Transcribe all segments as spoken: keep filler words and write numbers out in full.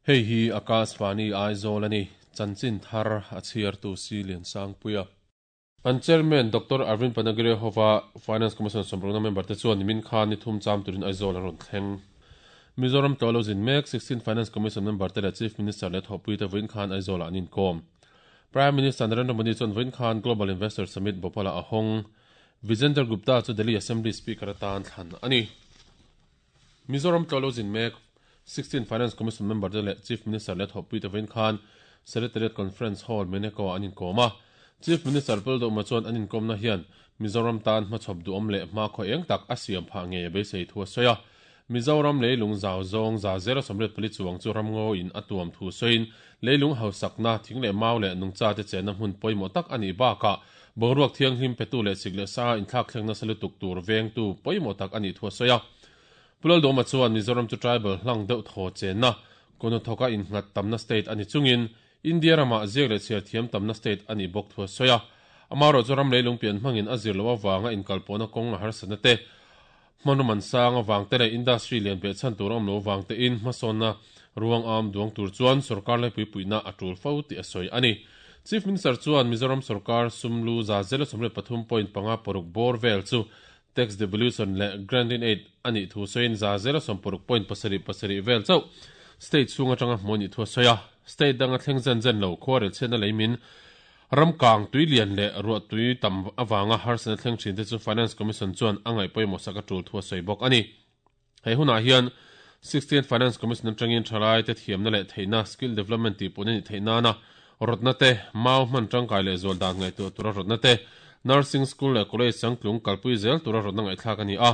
Hei hi Akashvani Aizawl ani chanchin thar a chhiar tu si lian sang puia an chairman Doctor Arvind Panagariya hova Finance Commission somrona member te chuan min khan ni thum cham turin Aizawl an rawn thleng. Mizoram tolo zin mek sixteen Finance Commission member te leh Chief Minister leh thawhpui te vawiin khan Aizawl ah an inkawm. Prime Minister Narendra Modi chuan vawiin khan Global Investor Summit Bhopal ah a hawng. Vijender Gupta chu Delhi Assembly Speaker atan thlan ani. Mizoram tolo zin mek sixteen Finance Commission member te leh Chief Minister leh thawhpui te vawiin khan Secretariat Conference Hall Meneko an inkawm a. Chief Minister Paldoma chuan an inkawmna hian Mizoram tan hmachhawp duhawm leh hma khaw eng tak a siam phah ngei a beisei thu a sawi a. Mizoram leilung zau zawng za zero sawmriat pali chuang chu ramngaw in a tuam thu sawiin leilung hausakna thing leh mau leh nungcha te chenna hmun pawimawh tak a nih bakah boruak thianghlim petu leh sik leh sa inthlak thlengna salutuk tur vengtu pawimawh tak a nih thu a sawi a. Pulaldoma chuan Mizoram chu tribal hlang deuh thaw chenna kono thoka innghat tamna state ani chungin India ramah ziak leh chhiar thiam tamna state ani bawk thu a sawi a. Amaro chu ram leilung pian hmangin a zir lo awanga inkalpawhna kawng a harsatna te hmanruman sang awang te leh industry lian pe chan tur awm lo awang te in hmasawnna ruang am duang tur chuan sarkar lai pui puina a tul fo ti a sawi ani. Chief Minister chuan Mizoram sarkar sumlu za zero sawmriat pathum point panga paruk bor vel chu tax devolution leh grant in aid ani thu sawiin za zero sawm paruk point pasarih pasarih vel chauh state chhung atanga hmuh ni thu a sawi a. State danga thleng zen zen lo khuarel chhiatna leimin ramkang tuilian leh ruah tui tam awanga harsatna thleng thin te chu Finance Commission chuan a ngaih pawimawh sak a tul thu a sawi bawk ani. Hei hunah hian sixteen Finance Commission atangin thalai te thiamna leh theihna skill development tih pawh ni theihna na rawtna te mau hman tangkai leh zual dan ngaih tur tura rawtna te nursing school leh college changtlung kalpui zel tura rawtna ngaihthlak ani a.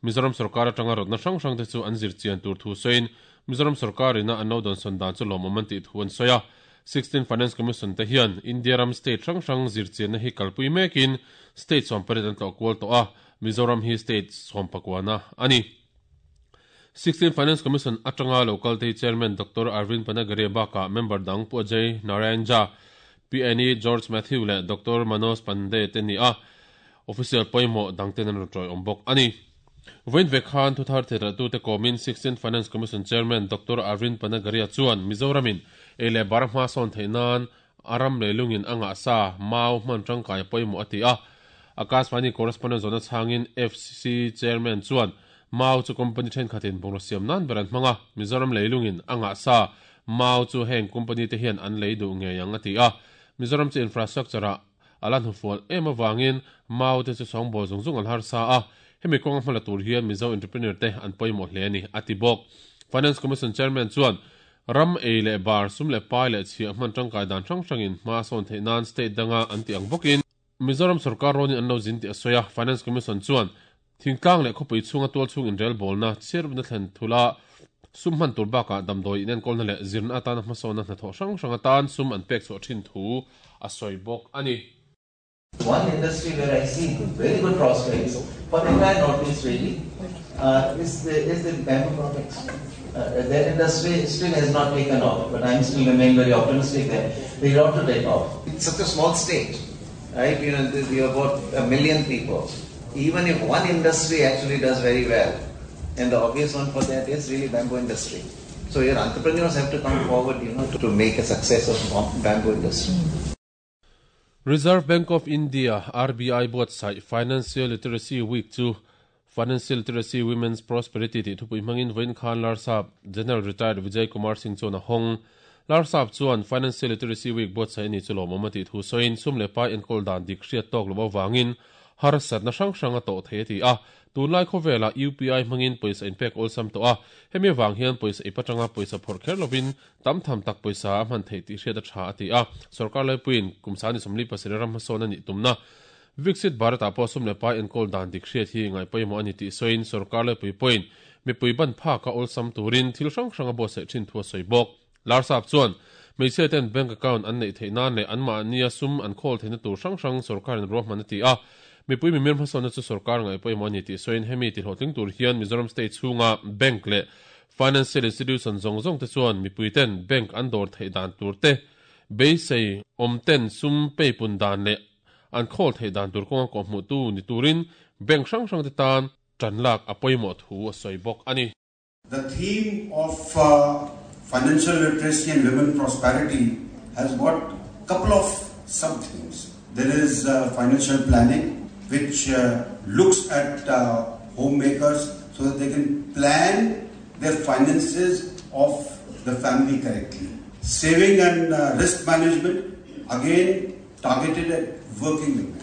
Mizoram sarkar atanga rawtna hrang hrang te chu an zir chian tur thu sawiin Mizoram sarkar ina an lo dawn sawn dan chu lawmawm an tih thu an sawi a. sixteen Finance Commission te hian India ram state hrang hrang zir chianna hi kalpui mekin state sawm pariat an tlawh kual tawh a. Mizoram hi state sawm pakuana ani. sixteen Finance Commission atanga local te chairman Doctor Arvind Panagariya baka member dang Pu Ajay Narayan Jha, P N E George Matthew leh Doctor Manoj Pandey te ni a. Official pawimawh dang ten an rawn tawi awm bawk ani. Vawiin ve khan thuthar thehra tu te kawmin sixteen Finance Commission Chairman Doctor Arvind Panagariya chuan Mizoramin ei leh bar hma sawn theih nan aram leilungin a ngah sa mau hman tangkai pawimawh a ti a. Akashvani correspondent zona changin F C Chairman chuan mau chu company thenkhatin bungraw siam nan ber an hmanga Mizoram leilungin a ngah sa mau chu heng company te hian an lei duh ngei ang a ti a. Mizoram chu infrastructure a alan hufual em awangin mau te chu sawngbawl zung zung an har sa a. Hemi kawng hmala tur hian Mizo entrepreneur te an pawimawh hle ani a ti bawk. Finance Commission Chairman chuan ram ei leh bar sum leh pai leh chhiah hman tangkai dan hrang hrangin hma sawn theih nan state danga an ti ang bawkin Mizoram sarkar rawnin an lo zin ti a sawi a. Finance Commission chuan thingtlang leh khawpui chhunga tual chhung inrel bawlna chhiarna thlen thula sum hman tur bakah damdawi in enkawlna leh zirna atana hmasawnna hnathawh hrang hrang atan sum an pek chhuah thin thu a sawi bawk ani. One industry where I see very good prospects for the entire Northeast really uh, is the, is the bamboo products. Uh, that industry still has not taken off, but I still remain very optimistic that they ought to take off. It's such a small state, right? You know, we have about a million people. Even if one industry actually does very well, and the obvious one for that is really bamboo industry. So your entrepreneurs have to come forward, you know, to, to make a success of bamboo industry. Reserve Bank of India R B I buatsaih Financial Literacy Week chu Financial Literacy Women's Prosperity ti thupui hmangin vawiin khan Larsap General Retired Vijay Kumar Singh chuan a hawng. Larsap chuan Financial Literacy Week buatsaih ani chu lawmawm a tih thu sawiin sum leh pai enkawl dan dik hriat tawk lo awangin harsatna hrang hrang a tawh thei a ti a. Tunlai khawvela U P I hmangin pawisa inpek awlsam tawh a. Hemi awang hian pawisa ipatanga pawisa phawrh kher lovin tam tham tak pawisa a hman theih tih hriat a tha a ti a. Sarkar laipuiin kumsani sawmli pasarih ram hmasawn ani tumna Viksit Bharat ah pawh sum leh pai enkawl dan dik hriat hi ngai pawimawh ani tih sawiin sarkar laipui pawhin mipui ban phaka awlsam turin thil hrang hrang a buatsaih thin thu a sawi bawk. Larsap chuan hmeichhia ten bank account an neih theih nan leh anmahnia sum an khawl theihna tur hrang hrang sarkarin ruahman a ti a. Mipui mimir hmasawnna chu sarkar ngai pawimawh ani tih sawiin hemi ti hlawhtling tur hian Mizoram state chhunga bank leh financial institution zawng zawng te chuan mipui ten bank an dawr theih dan tur te beisei awm ten sum peipun dan leh an khawl theih dan tur kawnga kawh hmuh tu ni turin bank hrang hrang te tan tan lak a pawimawh thu a sawi bawk ani. The theme of, uh, Financial literacy and women prosperity has got couple of sub-themes. There is uh, financial planning, which uh, looks at uh, homemakers so that they can plan their finances of the family correctly. Saving and uh, risk management, again targeted at working women,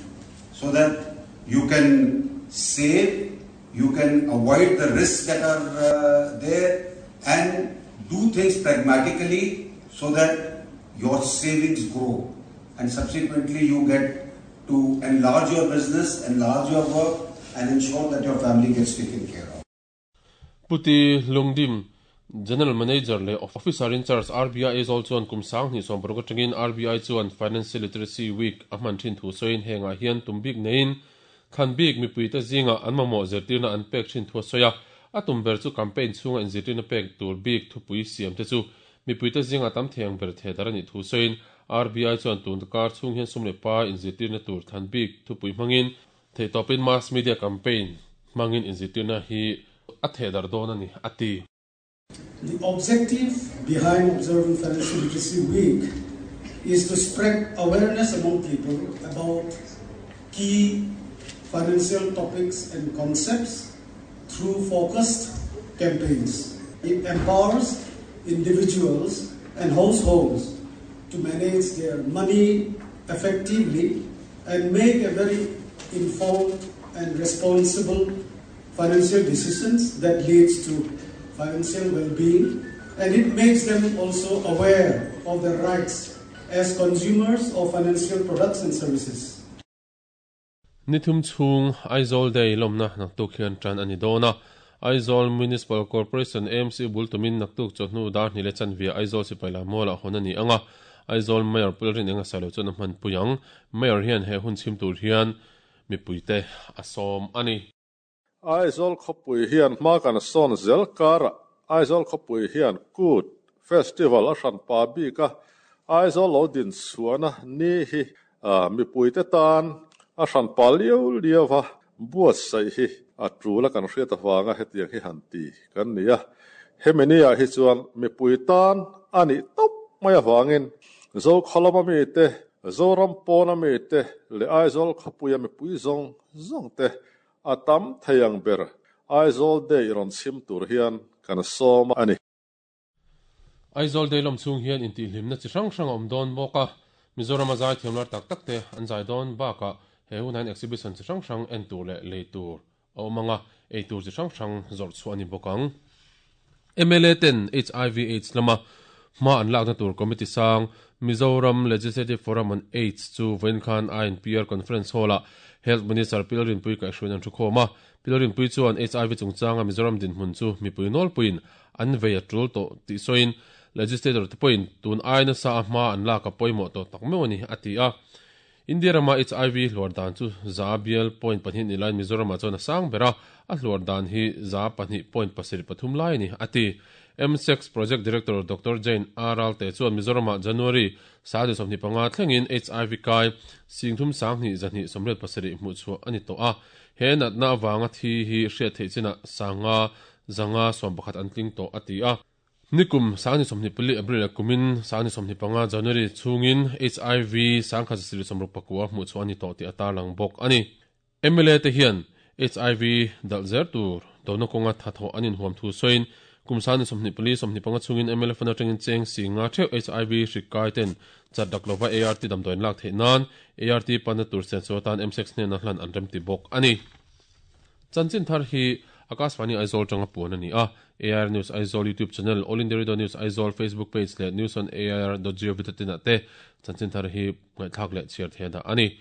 so that you can save, you can avoid the risks that are uh, there, and do things pragmatically so that your savings grow, and subsequently you get to enlarge your business, enlarge your work, and ensure that your family gets taken care of. Puti Lungdim, General Manager le Officer in Charge R B I Aizawl chuan kum sang hnih sawm paruk atangin R B I chuan Financial Literacy Week a hman thin thu sawiin hengah hian tum bik neiin thlan bik mipui te zinga an mamawh zirtirna an pek thin thu a sawi a a tum ber chu campaign chhunga inzirtirna pek tur bik thupui siam te chu mipui te zinga tam theng ber the dar ani thu sawiin R B I chuan tun kar chhung hian sum le pa inzirtirna tur thlan bik thupui hmangin theitawpin mass media campaign hmangin inzirtirna hi a the dar dawn ani ati. The objective behind observing Financial Literacy Week is to spread awareness among people about key financial topics and concepts through focused campaigns. It empowers individuals and households to manage their money effectively and make a very informed and responsible financial decisions that leads to financial well-being, and it makes them also aware of their rights as consumers of financial products and services. Nithum chung Aizawl Day lomna naktuk hian tran ani dona Aizawl Municipal Corporation A M C bultumin naktuk chawhnu dar hnih le chanvia Aizawl sipai mola honani anga Aizawl Mayor Pulrin enga salo chuan a hman puyang Mayor hian he hun chim tur hian mipuite asom ani. Aizawl khawpui hian hma kan sawn zel kara Aizawl khawpui hian Kut Festival a hran pa bika Aizawl lo din chuana ni hi mipuite tan a hran pa liau liawa buat sai hi a tula kan hriat awanga hetiang hi han ti kan nia hemenia hi chuan mipui tan ani top mai awangin zo kholama mi te Zoram pawna mi te le Aizawl khawpuia mipui zawng zawng te atam theiang ber Aizawl Day ron chim tur hian kan som ani. Aizawl Day lom chung hian inti hlimna chi hrang hrang awm dawn bawk a Mizoram a zai thiamlar tak tak te an zai dawn baka he hunan exhibition chi hrang hrang en tur leh lei tur a awm anga ei tur chi hrang hrang zawrh chhuah ani bawk ang. M L A ten H I V AIDS lama hma an lakna tur committee sang Mizoram Legislative Forum on AIDS chu vawiin khan I N P R Conference Hall-ah Health Minister Pilarin Pui kaihhruaiin an thu khawm a. Pilarin Pui chuan H I V chungchanga Mizoram dinhmun chu mipui nawlpuiin an vei a tul tawh tih sawiin legislator te pawhin tun aina sa a hma an lak a pawimawh tawh tak meuh ani a ti a. India rama H I V hluar dan chu za bial point pahnih ni laiin Mizoramah chuan a sang ber a, a hluar dan hi za pahnih point pasarih pathum lai ani a ti. M six Project Director Doctor Jane R. Te chuan Mizoramah January sadi sawmhnih panga thlengin H I V kai singthum sanghnih zahnih sawmriat pasarih hmuh chhuah ani tawh a. He natna awanga thi hi hriat theih chinah sanga zanga sawm pakhat an tling tawh a ti a. Nikum sangni sawmhnih pali April kumin sangni sawmhnih panga January chungin H I V sangkhat zasarih sawmruk pakua hmuh chhuah ani tawh tih a tarlang bawk ani. M L A te hian H I V dal zer tur dona kawnga thathawh anin huam thu sawiin kum sangni sawmhnih pali sawmhnih panga chungin M L A fana tangin cheng singa theuh H I V hrik kai ten chat dak lova A R T damdawiin lak theih nan A R T pana tur sen chu atan M six hnena hlan an rem ti bawk ani. Chanchin thar hi Akashvani Aizawl tanga puan ani a. A R News Aizawl YouTube channel, All India Radio News Aizawl Facebook page le news on A R dot gov dot in te chanchin thar hi ngaithak le chiar the da ani.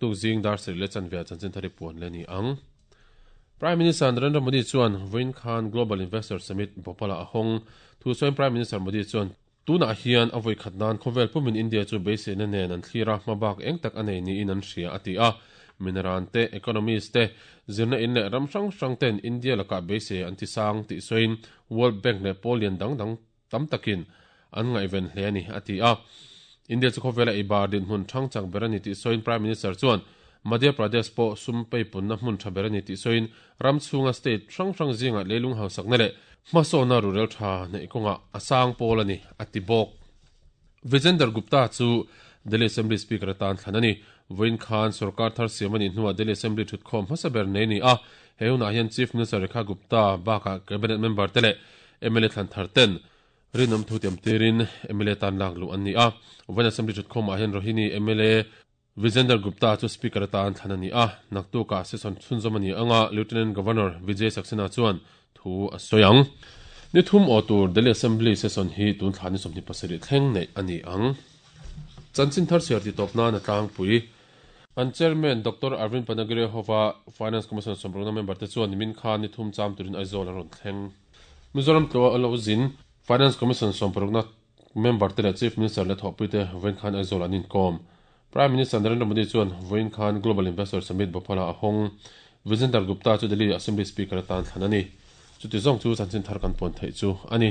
Tuk zing dar sari le chanvia chanchin thar hi puan le ni ang. Prime Minister Narendra Modi chuan Vawiin khan Global Investor Summit Bhopal a hawng thu sawiin Prime Minister Modi chuan tuna hian a vawi khat nan khawvel pumin India chu beiseina nen an thlira hmabak eng tak a nei niin an hria a ti a. Mineral te economist te zirna in leh ram hrang hrang ten India laka beisei an ti sang tih sawiin World Bank leh Polian dang dang tam takin an ngaihven hle ani a ti a. India chu khawvela eibar dinhmun thang chak ber ani tih sawiin Prime Minister chuan Madhya Pradesh pawh sum peipunna hmun tha ber ani tih sawiin ram chhunga state hrang hrang zinga leilung hausakna leh hmasawna rurel tha nei kawnga a sang pawl ani a ti bawk. Vijender Gupta chu Delhi Assembly Speaker atan thlan ani. Voin khan sarkar thar siam ani hnuah Delhi Assembly thutkhawm hmasa ber nei ni a. He hunah hian Chief Minister Rekha Gupta bakah Cabinet member te leh M L A thlan thar ten rinawm thu tiam tirin M L A tan lak luh an ni a. Voin Assembly thutkhawmah hian Rohini M L A Vijender Gupta chu Speaker atan thlan ani a. Naktukah session chhunzawm ani anga, Lieutenant Governor Vijay Saxena chuan thu a sawi ang. Ni thum aw tur Delhi Assembly session hi tun thla ni sawmhnih pasarih thleng neih ani ang. Chanchin thar siar ti tawp nan a tlangpui. An chairman Doctor Arvind Panagariya hova Finance Commission sawmrukna member te chuan nimin khan ni thum cham turin Aizawl an rawn thleng. Mizoram tlaw a lo zin Finance Commission sawmparukna member te leh Chief Minister leh thawhpui te vawiin khan Aizawl an inkawm. Prime Minister Narendra Modi chuan vawiin khan Global Investor Summit Bhopal a hawng. Vijender Gupta chu Delhi Assembly Speaker atan thlan ani. Chuti zawng chu chanchin thar kan puan theih chu ani.